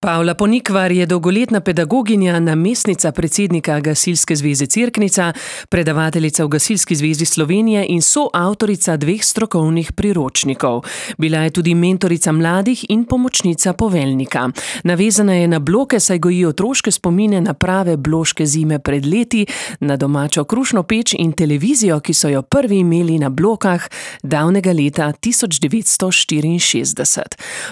Pavla Ponikvar je dolgoletna pedagoginja, namestnica predsednika Gasilske zveze Cerknica, predavateljica v Gasilski zvezi Slovenije in soavtorica 2 strokovnih priročnikov. Bila je tudi mentorica mladih in pomočnica poveljnika. Navezana je na bloke, saj goji otroške spomine na prave bloške zime pred leti, na domačo krušno peč in televizijo, ki so jo prvi imeli na blokah davnega leta 1964.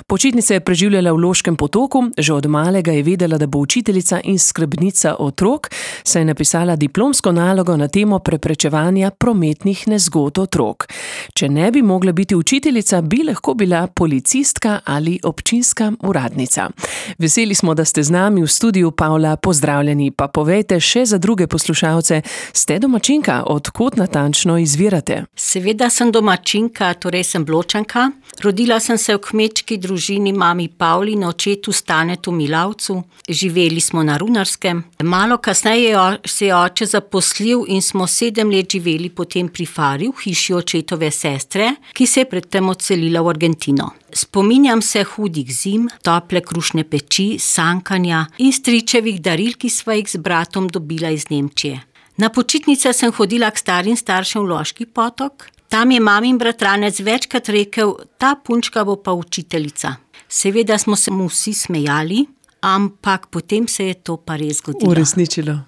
Počitnice je preživljala v Loškem Potoku. Že od malega je vedela, da bo učiteljica in skrbnica otrok, saj je napisala diplomsko nalogo na temo preprečevanja prometnih nezgod otrok. Če ne bi mogla biti učiteljica, bi lahko bila policistka ali občinska uradnica. Veseli smo, da ste z nami v studiu. Pavla, pozdravljeni. Pa povejte še za druge poslušalce, ste domačinka, od kod natančno izvirate? Seveda sem domačinka, torej sem Bločanka. Rodila sem se v kmečki družini mami Pavli in očetu Stanetu Milavcu. Živeli smo na Runarskem. Malo kasneje se je oče zaposlil in smo 7 let živeli potem pri Fari, v hiši očetove sestre, ki se je predtem odselila v Argentino. Spominjam se hudih zim, tople krušne peči, sankanja in stričevih daril, ki sva jih z bratom dobila iz Nemčije. Na počitnice sem hodila k starim staršem v Loški Potok. Tam je mamin bratranec večkrat rekel, ta punčka bo pa učiteljica. Seveda smo se mu vsi smejali, ampak potem se je to pa res zgodilo. Uresničilo.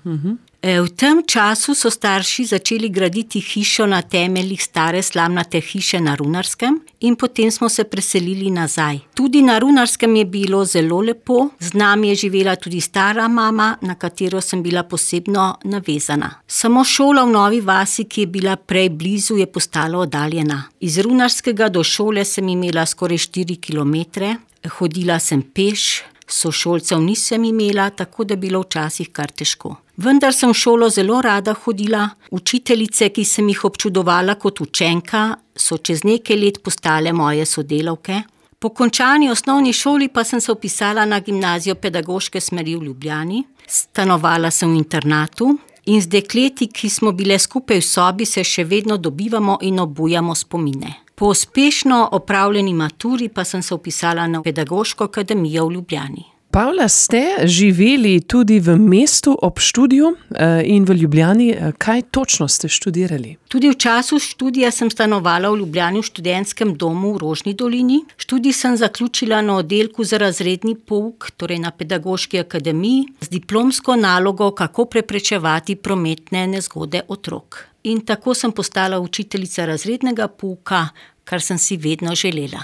V tem času so starši začeli graditi hišo na temeljih stare slamnate hiše na Runarskem in potem smo se preselili nazaj. Tudi na Runarskem je bilo zelo lepo, z nami je živela tudi stara mama, na katero sem bila posebno navezana. Samo šola v Novi vasi, ki je bila prej blizu, je postala oddaljena. Iz Runarskega do šole sem imela skoraj 4 kilometre, hodila sem peš, sošolcev nisem imela, tako da je bilo včasih kar težko. Vendar sem v šolo zelo rada hodila. Učiteljice, ki sem jih občudovala kot učenka, so čez nekaj let postale moje sodelavke. Po končani osnovni šoli pa sem se vpisala na gimnazijo pedagoške smeri v Ljubljani. Stanovala sem v internatu in z dekleti, ki smo bile skupaj v sobi, se še vedno dobivamo in obujamo spomine. Po uspešno opravljeni maturi pa sem se vpisala na Pedagoško akademijo v Ljubljani. Pavla, ste živeli tudi v mestu ob študiju in v Ljubljani. Kaj točno ste študirali? Tudi v času študija sem stanovala v Ljubljani v študentskem domu v Rožni dolini. Študij sem zaključila na oddelku za razredni pouk, torej na Pedagoški akademiji, z diplomsko nalogo, kako preprečevati prometne nezgode otrok. In tako sem postala učiteljica razrednega pouka, kar sem si vedno želela.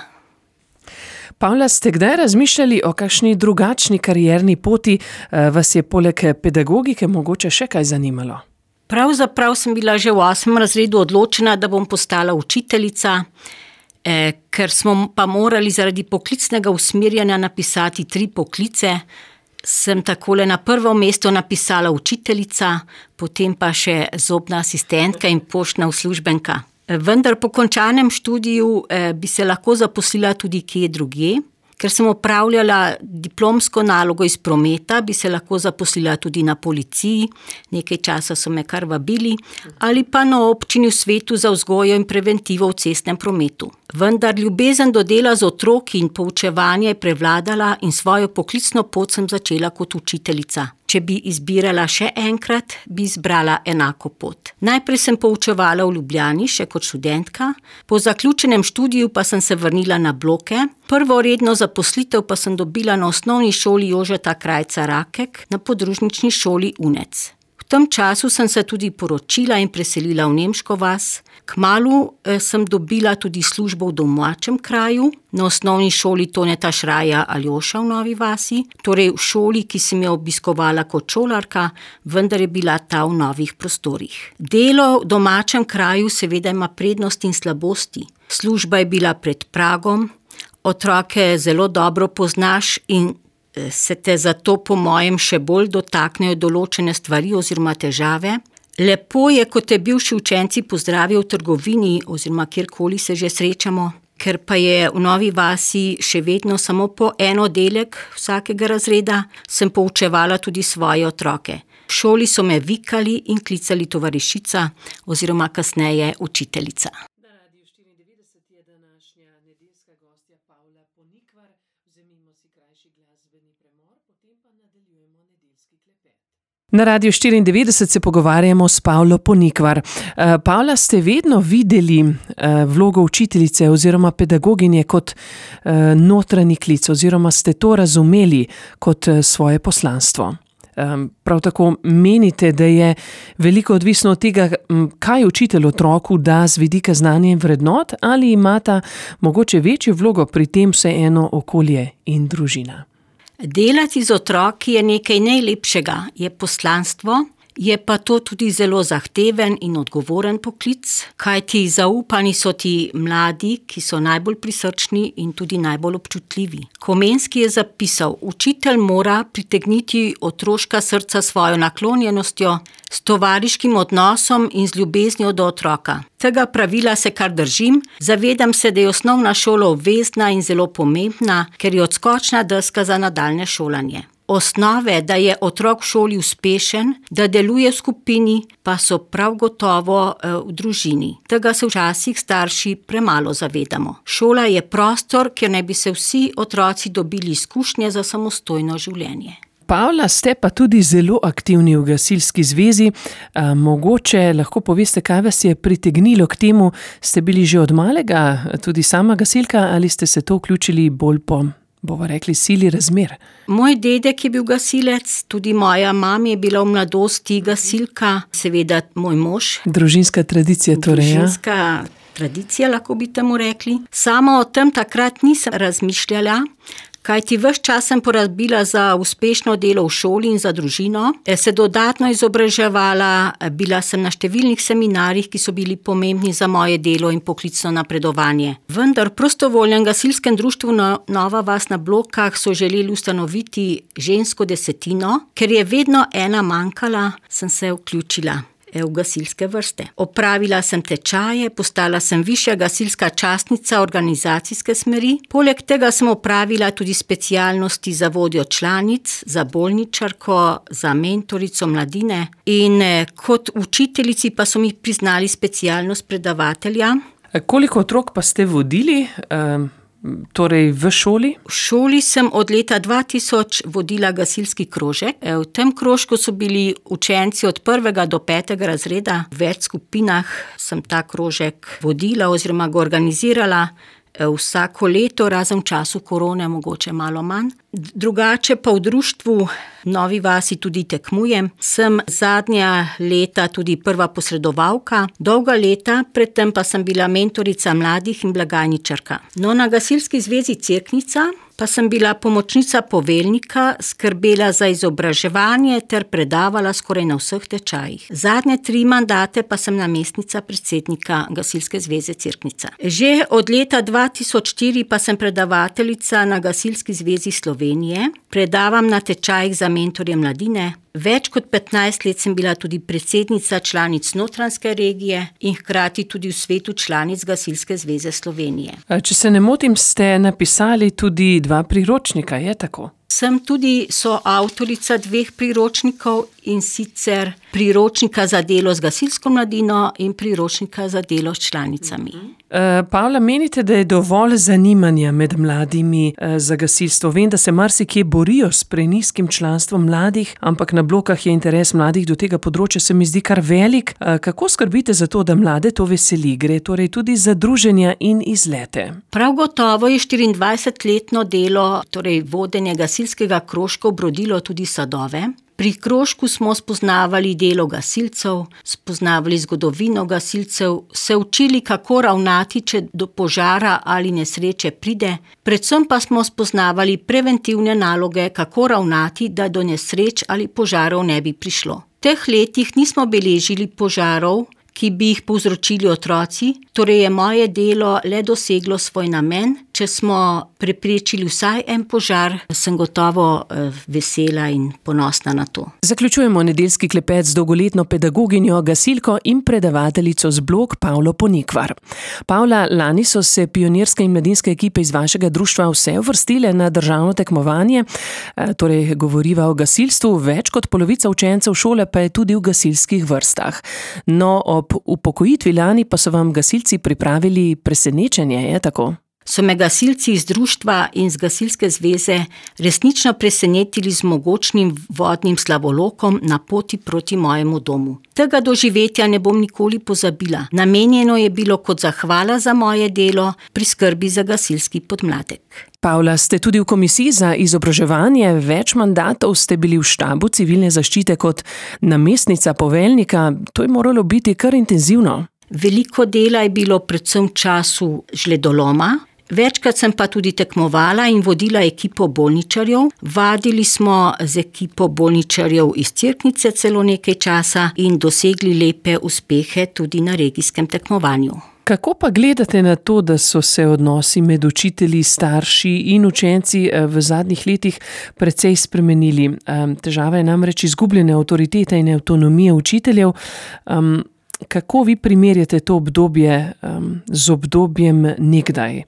Pavla, ste kdaj razmišljali o kakšni drugačni karierni poti? Vas je poleg pedagogike mogoče še kaj zanimalo? Pravzaprav sem bila že v 8. razredu odločena, da bom postala učiteljica, ker smo pa morali zaradi poklicnega usmerjanja napisati 3 poklice. Sem takole na prvo mesto napisala učiteljica, potem pa še zobna asistentka in poštna uslužbenka. Vendar po končanem študiju bi se lahko zaposlila tudi kje drugje. Ker sem opravljala diplomsko nalogo iz prometa, bi se lahko zaposlila tudi na policiji, nekaj časa so me kar vabili, ali pa na občini v svetu za vzgojo in preventivo v cestnem prometu. Vendar ljubezen do dela z otroki in poučevanja je prevladala in svojo poklicno pot sem začela kot učiteljica. Če bi izbirala še enkrat, bi izbrala enako pot. Najprej sem poučevala v Ljubljani, še kot študentka, po zaključenem študiju pa sem se vrnila na bloke. Prvo redno zaposlitev pa sem dobila na osnovni šoli Jožeta Krajca Rakek, na podružnični šoli Unec. V tem času sem se tudi poročila in preselila v Nemško vas. Kmalu sem dobila tudi službo v domačem kraju, na osnovni šoli Toneta Šraja Aljoša v Novi vasi, torej v šoli, ki sem jo obiskovala kot šolarka, vendar je bila ta v novih prostorih. Delo v domačem kraju seveda ima prednosti in slabosti. Služba je bila pred pragom, otroke zelo dobro poznaš in se te zato po mojem še bolj dotaknejo določene stvari oziroma težave. Lepo je, ko te bivši učenci pozdravijo v trgovini oziroma kjerkoli se že srečamo, ker pa je v Novi vasi še vedno samo po en oddelek vsakega razreda, sem poučevala tudi svoje otroke. V šoli so me vikali in klicali tovarišica oziroma kasneje učiteljica. Na Radiu 94 je današnja nedeljska gostja Pavla Ponikvar. Vzemimo si krajši glasbeni premor. Na Radiu 94 se pogovarjamo s Pavlo Ponikvar. Pavla, ste vedno videli vlogo učiteljice oziroma pedagoginje kot notranji klic oziroma ste to razumeli kot svoje poslanstvo? Prav tako menite, da je veliko odvisno od tega, kaj učitelj otroku da z vidika znanja in vrednot, ali imata mogoče večjo vlogo pri tem vseeno okolje in družina? Delati z otroki je nekaj najlepšega, je poslanstvo, je pa to tudi zelo zahteven in odgovoren poklic, kajti zaupani so ti mladi, ki so najbolj prisrčni in tudi najbolj občutljivi. Komenski je zapisal: učitelj mora pritegniti otroška srca svojo naklonjenostjo, s tovariškim odnosom in z ljubeznijo do otroka. Tega pravila se kar držim, zavedam se, da je osnovna šola obvezna in zelo pomembna, ker je odskočna deska za nadaljnje šolanje. Osnove, da je otrok v šoli uspešen, da deluje v skupini, pa so prav gotovo v družini. Tega se včasih starši premalo zavedamo. Šola je prostor, kjer naj bi se vsi otroci dobili izkušnje za samostojno življenje. Pavla, ste pa tudi zelo aktivni v gasilski zvezi. Mogoče lahko poveste, kaj vas je pritegnilo k temu? Ste bili že od malega tudi sama gasilka ali ste se to vključili bolj po, bomo rekli, sili razmer? Moj dedek je bil gasilec, tudi moja mama je bila v mladosti gasilka, seveda moj mož. Družinska tradicija torej, ja? Družinska tradicija, lahko bi temu rekli. Sama o tem takrat nisem razmišljala, kajti ves čas sem porabila za uspešno delo v šoli in za družino, se dodatno izobraževala, bila sem na številnih seminarjih, ki so bili pomembni za moje delo in poklicno napredovanje. Vendar v prostovoljnem gasilskem društvu Nova vas na Blokah so želeli ustanoviti žensko desetino, ker je vedno ena manjkala, sem se vključila v gasilske vrste. Opravila sem tečaje, postala sem višja gasilska častnica organizacijske smeri. Poleg tega sem opravila tudi specialnosti za vodjo članic, za bolničarko, za mentorico mladine in kot učiteljici pa so mi priznali specialnost predavatelja. Koliko otrok pa ste vodili? Torej v šoli? V šoli sem od leta 2000 vodila gasilski krožek. V tem krožku so bili učenci od 1. do 5. razreda. V več skupinah sem ta krožek vodila oziroma ga organizirala vsako leto, razen v času korone, mogoče malo manj. Drugače pa v društvu Novi vasi tudi tekmujem. Sem zadnja leta tudi prva posredovalka, dolga leta, predtem pa sem bila mentorica mladih in blagajničarka. No, na Gasilski zvezi Cerknica pa sem bila pomočnica poveljnika, skrbela za izobraževanje ter predavala skoraj na vseh tečajih. Zadnje 3 mandate pa sem namestnica predsednika Gasilske zveze Cerknica. Že od leta 2004 pa sem predavateljica na Gasilski zvezi Slovenije, predavam na tečajih za mentorje mladine. Več kot 15 let sem bila tudi predsednica članic Notranjske regije in hkrati tudi v svetu članic Gasilske zveze Slovenije. Če se ne motim, ste napisali tudi 2 priročnika, je tako? Sem tudi soavtorica 2 priročnikov, in sicer priročnika za delo z gasilsko mladino in priročnika za delo s članicami. Pavla, menite, da je dovolj zanimanja med mladimi za gasilstvo? Vem, da se marsikje borijo s prenizkim članstvom mladih, ampak na Blokah je interes mladih do tega področja, se mi zdi kar velik. Kako skrbite za to, da mlade to veseli? Gre torej tudi za druženja in izlete? Prav gotovo je 24-letno delo, torej vodenje gasilskega krožka, obrodilo tudi sadove. Pri krožku smo spoznavali delo gasilcev, spoznavali zgodovino gasilcev, se učili, kako ravnati, če do požara ali nesreče pride, predvsem pa smo spoznavali preventivne naloge, kako ravnati, da do nesreč ali požarov ne bi prišlo. V teh letih nismo beležili požarov, ki bi jih povzročili otroci, torej je moje delo le doseglo svoj namen. Če smo preprečili vsaj en požar, sem gotovo vesela in ponosna na to. Zaključujemo nedeljski klepet z dolgoletno pedagoginjo, gasilko in predavateljico z Blok Pavlo Ponikvar. Pavla, lani so se pionirske in mladinske ekipe iz vašega društva vse uvrstile na državno tekmovanje, torej govoriva o gasilstvu, več kot polovica učencev šole pa je tudi v gasilskih vrstah. No, ob upokojitvi lani pa so vam gasilci pripravili presenečenje, je tako? so me gasilci iz društva in z gasilske zveze resnično presenetili z mogočnim vodnim slavolokom na poti proti mojemu domu. Tega doživetja ne bom nikoli pozabila. Namenjeno je bilo kot zahvala za moje delo pri skrbi za gasilski podmladek. Pavla, ste tudi v komisiji za izobraževanje, več mandatov ste bili v štabu civilne zaščite kot namestnica poveljnika. To je moralo biti kar intenzivno. Veliko dela je bilo predvsem v času žledoloma. Večkrat sem pa tudi tekmovala in vodila ekipo bolničarjev. Vadili smo z ekipo bolničarjev iz Cerknice celo nekaj časa in dosegli lepe uspehe tudi na regijskem tekmovanju. Kako pa gledate na to, da so se odnosi med učitelji, starši in učenci v zadnjih letih precej spremenili? Težava je namreč izgubljene avtoritete in avtonomije učiteljev. Kako vi primerjate to obdobje z obdobjem nekdaj?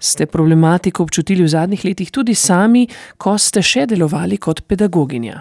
Ste problematiko občutili v zadnjih letih tudi sami, ko ste še delovali kot pedagoginja?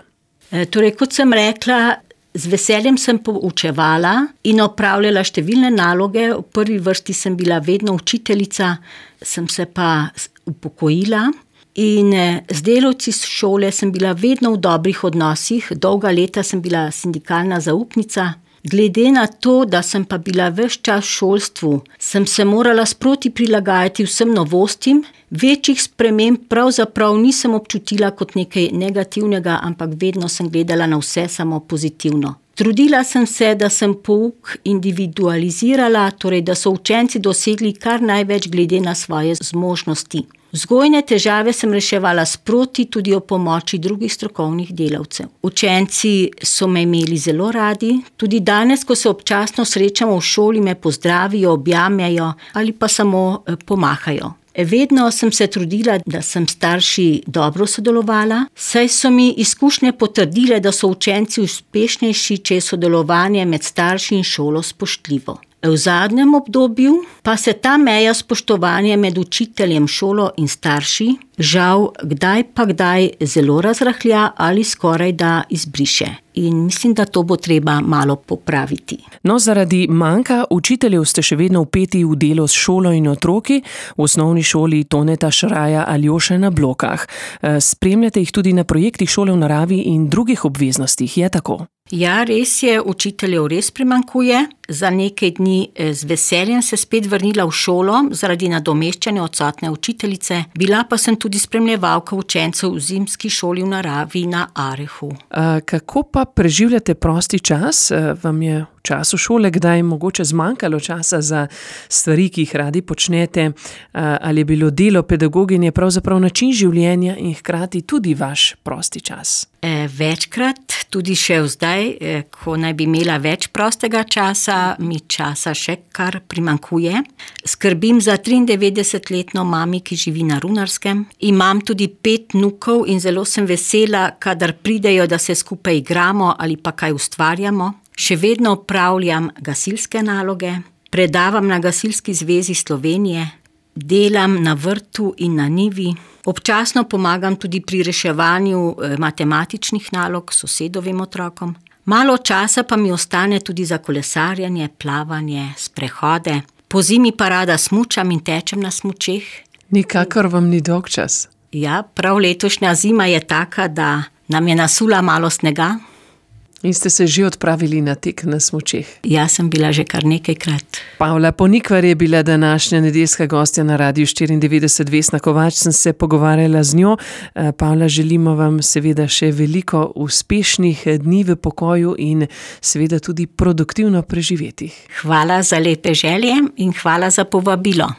Torej, kot sem rekla, z veseljem sem poučevala in opravljala številne naloge. V prvi vrsti sem bila vedno učiteljica, sem se pa upokojila. In z delavci s šole sem bila vedno v dobrih odnosih. Dolga leta sem bila sindikalna zaupnica. Glede na to, da sem pa bila ves čas v šolstvu, sem se morala sproti prilagajati vsem novostim. Večjih sprememb pravzaprav nisem občutila kot nekaj negativnega, ampak vedno sem gledala na vse samo pozitivno. Trudila sem se, da sem pouk individualizirala, torej da so učenci dosegli kar največ glede na svoje zmožnosti. Vzgojne težave sem reševala sproti tudi o pomoči drugih strokovnih delavcev. Učenci so me imeli zelo radi, tudi danes, ko se občasno srečamo v šoli, me pozdravijo, objamejo ali pa samo pomahajo. Vedno sem se trudila, da sem starši dobro sodelovala, saj so mi izkušnje potrdile, da so učenci uspešnejši, če je sodelovanje med starši in šolo spoštljivo. V zadnjem obdobju pa se ta meja spoštovanja med učiteljem, šolo in starši žal kdaj zelo razrahlja ali skoraj da izbriše. In mislim, da to bo treba malo popraviti. No, zaradi manjka učiteljev ste še vedno vpeti v delo s šolo in otroki, v osnovni šoli Toneta Šraja Aljoše na Blokah. Spremljate jih tudi na projektih Šole v naravi in drugih obveznostih, je tako? Ja, res je, učiteljev res primanjkuje. Za nekaj dni z veseljem se spet vrnila v šolo zaradi nadomeščanja odsotne učiteljice. Bila pa sem tudi spremljevalka učencev v zimski šoli v naravi na Arehu. Kako pa preživljate prosti čas? Vam je v času šole kdaj mogoče zmanjkalo časa za stvari, ki jih radi počnete? Ali je bilo delo pedagoginje pravzaprav način življenja in hkrati tudi vaš prosti čas? Večkrat, tudi še zdaj, ko naj bi imela več prostega časa, mi časa še kar primanjkuje. Skrbim za 93-letno mami, ki živi na Runarskem. Imam tudi 5 vnukov in zelo sem vesela, kadar pridejo, da se skupaj igramo ali pa kaj ustvarjamo. Še vedno opravljam gasilske naloge, predavam na Gasilski zvezi Slovenije, delam na vrtu in na njivi. Občasno pomagam tudi pri reševanju matematičnih nalog sosedovim otrokom. Malo časa pa mi ostane tudi za kolesarjenje, plavanje, sprehode. Po zimi pa rada smučam in tečem na smučeh. Nikakor vam ni dolg čas. Ja, prav letošnja zima je taka, da nam je nasula malo snega. In ste se že odpravili na tek na smučeh? Ja, sem bila že kar nekajkrat. Pavla Ponikvar je bila današnja nedeljska gostja na Radiu 94. Vesna Kovač, sem se pogovarjala z njo. Pavla, želimo vam seveda še veliko uspešnih dni v pokoju in seveda tudi produktivno preživetih. Hvala za lepe želje in hvala za povabilo.